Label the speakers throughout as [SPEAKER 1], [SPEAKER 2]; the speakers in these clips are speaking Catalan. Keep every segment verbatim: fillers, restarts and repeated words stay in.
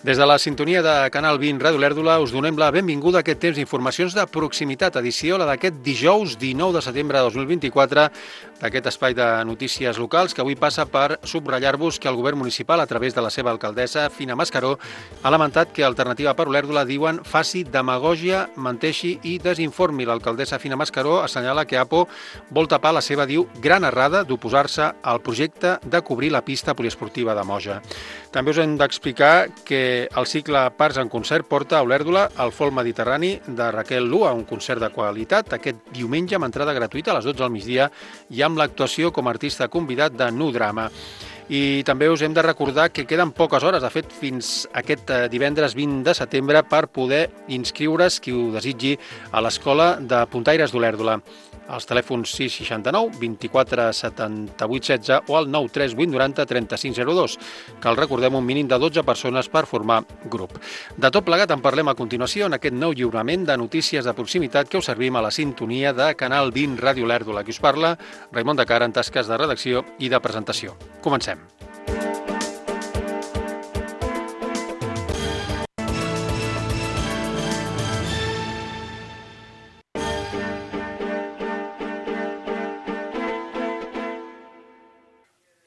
[SPEAKER 1] Des de la sintonia de Canal vint Ràdio Olèrdola us donem la benvinguda a aquest temps d'informacions de proximitat, edició la d'aquest dijous dinou de setembre de dos mil vint-i-quatre, d'aquest espai de notícies locals que avui passa per subratllar-vos que el govern municipal, a través de la seva alcaldessa, Fina Mascaró, ha lamentat que Alternativa per Olèrdola, diuen, faci demagògia, menteixi i desinformi. L'alcaldessa Fina Mascaró assenyala que APO vol tapar la seva, diu, gran errada d'oposar-se al projecte de cobrir la pista poliesportiva de Moja. També us hem d'explicar que el cicle Parts en concert porta a Olèrdola el folk mediterrani de Raquel Lua, un concert de qualitat, aquest diumenge amb entrada gratuïta a les dotze del migdia i amb l'actuació com a artista convidat de Nu Drama. I també us hem de recordar que queden poques hores, de fet, fins aquest divendres vint de setembre, per poder inscriure's, qui ho desitgi, a l'Escola de Puntaires d'Olèrdola. Els telèfons sis seixanta-nou vint-i-quatre setanta-vuit setze o al nou tres vuit noranta trenta-cinc zero dos. Cal recordem un mínim de dotze persones per formar grup. De tot plegat en parlem a continuació en aquest nou lliurament de notícies de proximitat que us servim a la sintonia de Canal vint Ràdio Olèrdola. Qui us parla, Raimon de Cara, en tasques de redacció i de presentació. Comencem.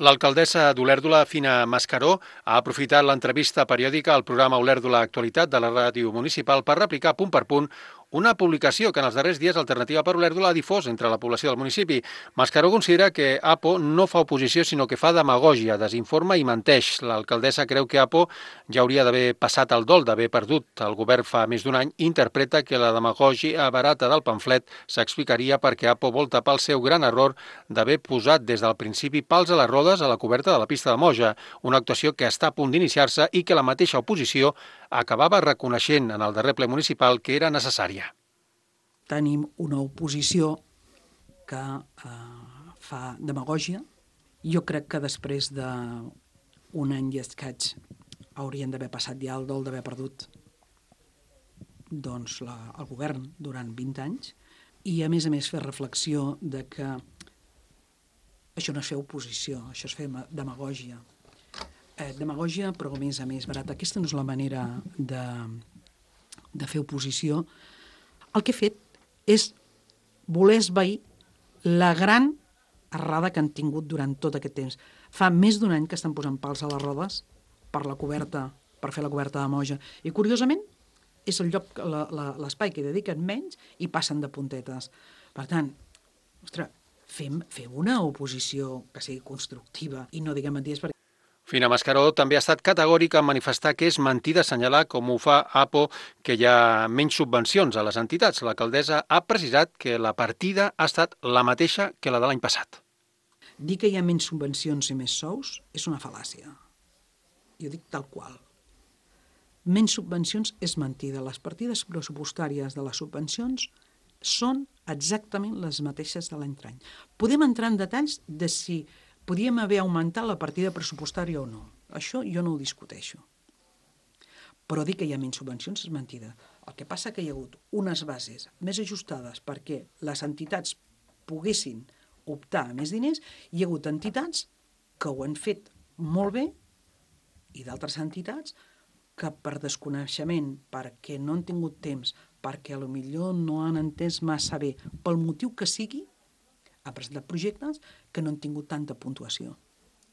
[SPEAKER 1] L'alcaldessa d'Olèrdola, Fina Mascaró, ha aprofitat l'entrevista periòdica al programa Olèrdola Actualitat de la ràdio municipal per replicar punt per punt una publicació que en els darrers dies Alternativa per Olèrdola ha difós entre la població del municipi. Mascaró considera que APO no fa oposició, sinó que fa demagògia, desinforma i menteix. L'alcaldessa creu que APO ja hauria d'haver passat el dol d'haver perdut el govern fa més d'un any i interpreta que la demagògia barata del pamflet s'explicaria perquè APO vol tapar el seu gran error d'haver posat des del principi pals a les rodes a la coberta de la pista de Moja, una actuació que està a punt d'iniciar-se i que la mateixa oposició acabava reconeixent en el darrer ple municipal que era necessària.
[SPEAKER 2] Tenim una oposició que eh, fa demagògia. Jo crec que després d'un any i escaig haurien d'haver passat ja el dol d'haver perdut doncs, la, el govern durant vint anys i, a més a més, fer reflexió de que això no és fer oposició, això és fer demagògia. Eh, demagògia, però a més a més barata. Aquesta no és la manera de, de fer oposició. El que he fet és voler esvair la gran errada que han tingut durant tot aquest temps. Fa més d'un any que estan posant pals a les rodes per la coberta, per fer la coberta de Moja. I, curiosament, és el lloc, la, la, l'espai que dediquen menys i passen de puntetes. Per tant, ostres, fem, fem una oposició que sigui constructiva i no diguem mentides, perquè
[SPEAKER 1] Fina Mascaró també ha estat categòrica en manifestar que és mentida assenyalar, com ho fa APO, que hi ha menys subvencions a les entitats. L'alcaldessa ha precisat que la partida ha estat la mateixa que la de l'any passat.
[SPEAKER 2] Dir que hi ha menys subvencions i més sous és una fal·làcia. Jo dic tal qual. Menys subvencions és mentida. Les partides pressupostàries de les subvencions són exactament les mateixes de l'any any. Podem entrar en detalls de si podíem haver augmentat la partida pressupostària o no. Això jo no ho discuteixo. Però dir que hi ha menys subvencions és mentida. El que passa que hi ha hagut unes bases més ajustades perquè les entitats poguessin optar a més diners, hi ha hagut entitats que ho han fet molt bé i d'altres entitats que per desconeixement, perquè no han tingut temps, perquè potser no han entès massa bé, pel motiu que sigui, ha presentat projectes que no han tingut tanta puntuació.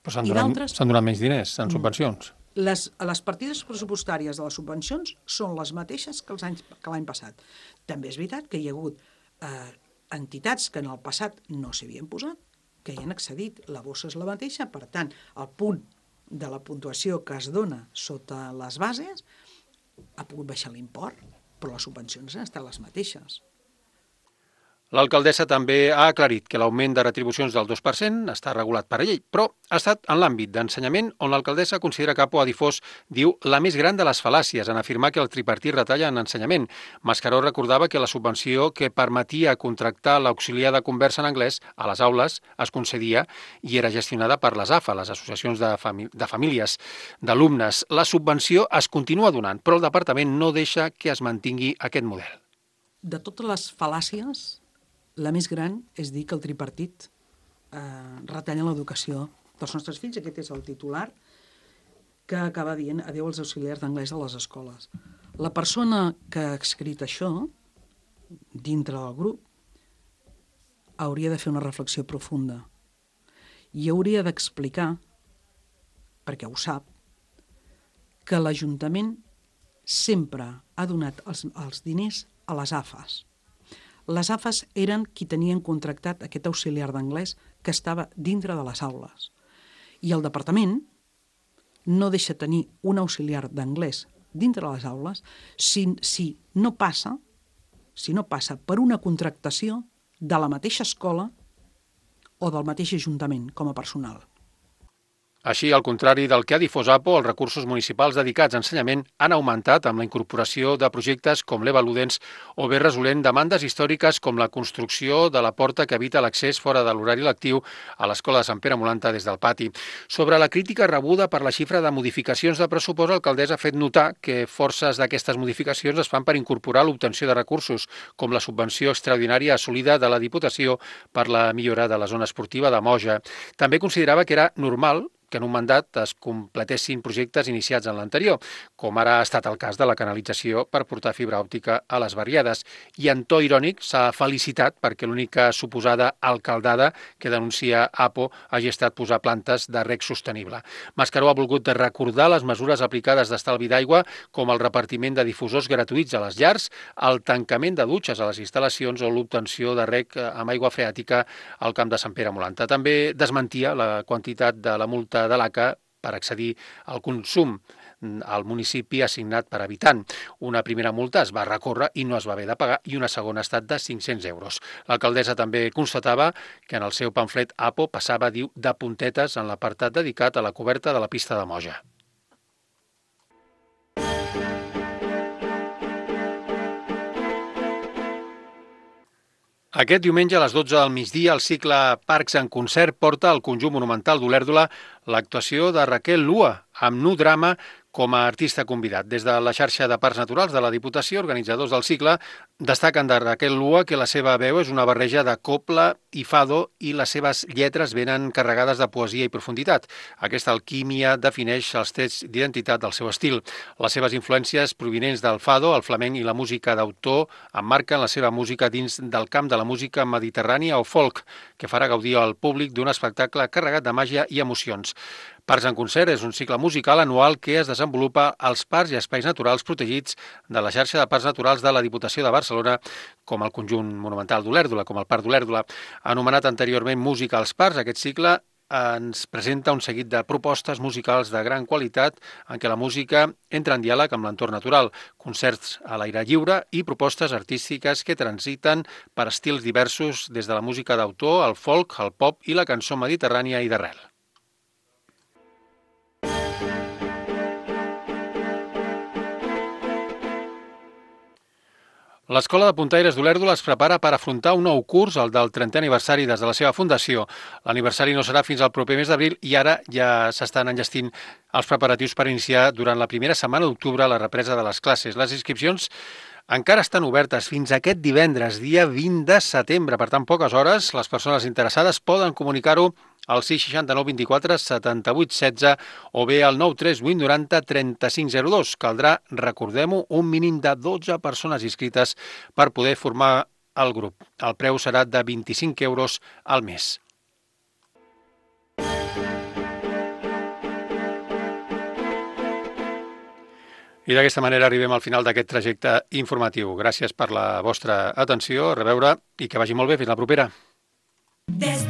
[SPEAKER 1] Però s'han donat, s'han donat menys diners en subvencions.
[SPEAKER 2] Les, les partides pressupostàries de les subvencions són les mateixes que els anys, que l'any passat. També és veritat que hi ha hagut eh, entitats que en el passat no s'havien posat, que hi han accedit. La bossa és la mateixa, per tant, el punt de la puntuació que es dona sota les bases ha pogut baixar l'import, però les subvencions han estat les mateixes.
[SPEAKER 1] L'alcaldessa també ha aclarit que l'augment de retribucions del dos per cent està regulat per llei, però ha estat en l'àmbit d'ensenyament on l'alcaldessa considera que APO ha difós, diu, la més gran de les fal·làcies en afirmar que el tripartit retalla en ensenyament. Mascaró recordava que la subvenció que permetia contractar l'auxiliar de conversa en anglès a les aules es concedia i era gestionada per les A F A, les associacions de, famí- de famílies d'alumnes. La subvenció es continua donant, però el departament no deixa que es mantingui aquest model.
[SPEAKER 2] De totes les fal·làcies, la més gran és dir que el tripartit eh, retalla l'educació dels nostres fills. Aquest és el titular que acaba dient adéu als auxiliars d'anglès a les escoles. La persona que ha escrit això, dintre del grup, hauria de fer una reflexió profunda i hauria d'explicar, perquè ho sap, que l'Ajuntament sempre ha donat els, els diners a les A F As. Les A F As eren qui tenien contractat aquest auxiliar d'anglès que estava dintre de les aules. I el departament no deixa tenir un auxiliar d'anglès dintre de les aules si, si, no passa, si no passa per una contractació de la mateixa escola o del mateix ajuntament com a personal.
[SPEAKER 1] Així, al contrari del que ha difós APO, els recursos municipals dedicats a ensenyament han augmentat amb la incorporació de projectes com l'Eva Ludens o bé resolent demandes històriques com la construcció de la porta que evita l'accés fora de l'horari lectiu a l'Escola de Sant Pere Molanta des del pati. Sobre la crítica rebuda per la xifra de modificacions de pressupost, l'alcaldessa ha fet notar que forces d'aquestes modificacions es fan per incorporar l'obtenció de recursos, com la subvenció extraordinària assolida de la Diputació per la millora de la zona esportiva de Moja. També considerava que era normal que en un mandat es completessin projectes iniciats en l'anterior, com ara ha estat el cas de la canalització per portar fibra òptica a les barriades. I en to irònic s'ha felicitat perquè l'única suposada alcaldada que denuncia APO hagi estat posar plantes de reg sostenible. Mascaró ha volgut recordar les mesures aplicades d'estalvi d'aigua, com el repartiment de difusors gratuïts a les llars, el tancament de dutxes a les instal·lacions o l'obtenció de reg amb aigua freàtica al camp de Sant Pere Molanta. També desmentia la quantitat de la multa de l'A C A per accedir al consum al municipi assignat per habitant. Una primera multa es va recórrer i no es va haver de pagar i una segona ha estat de cinc-cents euros. L'alcaldessa també constatava que en el seu pamflet APO passava, diu, de puntetes en l'apartat dedicat a la coberta de la pista de Moja. Aquest diumenge a les dotze del migdia el cicle Parcs en concert porta al conjunt monumental d'Olèrdola l'actuació de Raquel Lua amb Nu Drama com a artista convidat. Des de la xarxa de Parcs Naturals de la Diputació, organitzadors del cicle, destaquen de Raquel Lua que la seva veu és una barreja de copla i fado i les seves lletres venen carregades de poesia i profunditat. Aquesta alquímia defineix els trets d'identitat del seu estil. Les seves influències provinents del fado, el flamenc i la música d'autor emmarquen la seva música dins del camp de la música mediterrània o folk, que farà gaudir al públic d'un espectacle carregat de màgia i emocions. Parcs en concert és un cicle musical anual que es desenvolupa als parcs i espais naturals protegits de la xarxa de parcs naturals de la Diputació de Barcelona, com el conjunt monumental d'Olèrdola, com el Parc d'Olèrdola. Anomenat anteriorment Música als Parcs, aquest cicle ens presenta un seguit de propostes musicals de gran qualitat en què la música entra en diàleg amb l'entorn natural, concerts a l'aire lliure i propostes artístiques que transiten per estils diversos des de la música d'autor, el folk, el pop i la cançó mediterrània i d'arrel. L'Escola de Puntaires d'Olèrdola es prepara per afrontar un nou curs, el del trentè aniversari des de la seva fundació. L'aniversari no serà fins al proper mes d'abril i ara ja s'estan enllestint els preparatius per iniciar durant la primera setmana d'octubre la represa de les classes. Les inscripcions encara estan obertes fins aquest divendres, dia vint de setembre. Per tant, poques hores, les persones interessades poden comunicar-ho al sis seixanta-nou vint-i-quatre setanta-vuit setze o bé al nou tres vuit noranta trenta-cinc zero dos. Caldrà, recordem-ho, un mínim de dotze persones inscrites per poder formar el grup. El preu serà de vint-i-cinc euros al mes. I d'aquesta manera arribem al final d'aquest trajecte informatiu. Gràcies per la vostra atenció, a reveure i que vagi molt bé. Fins la propera. Des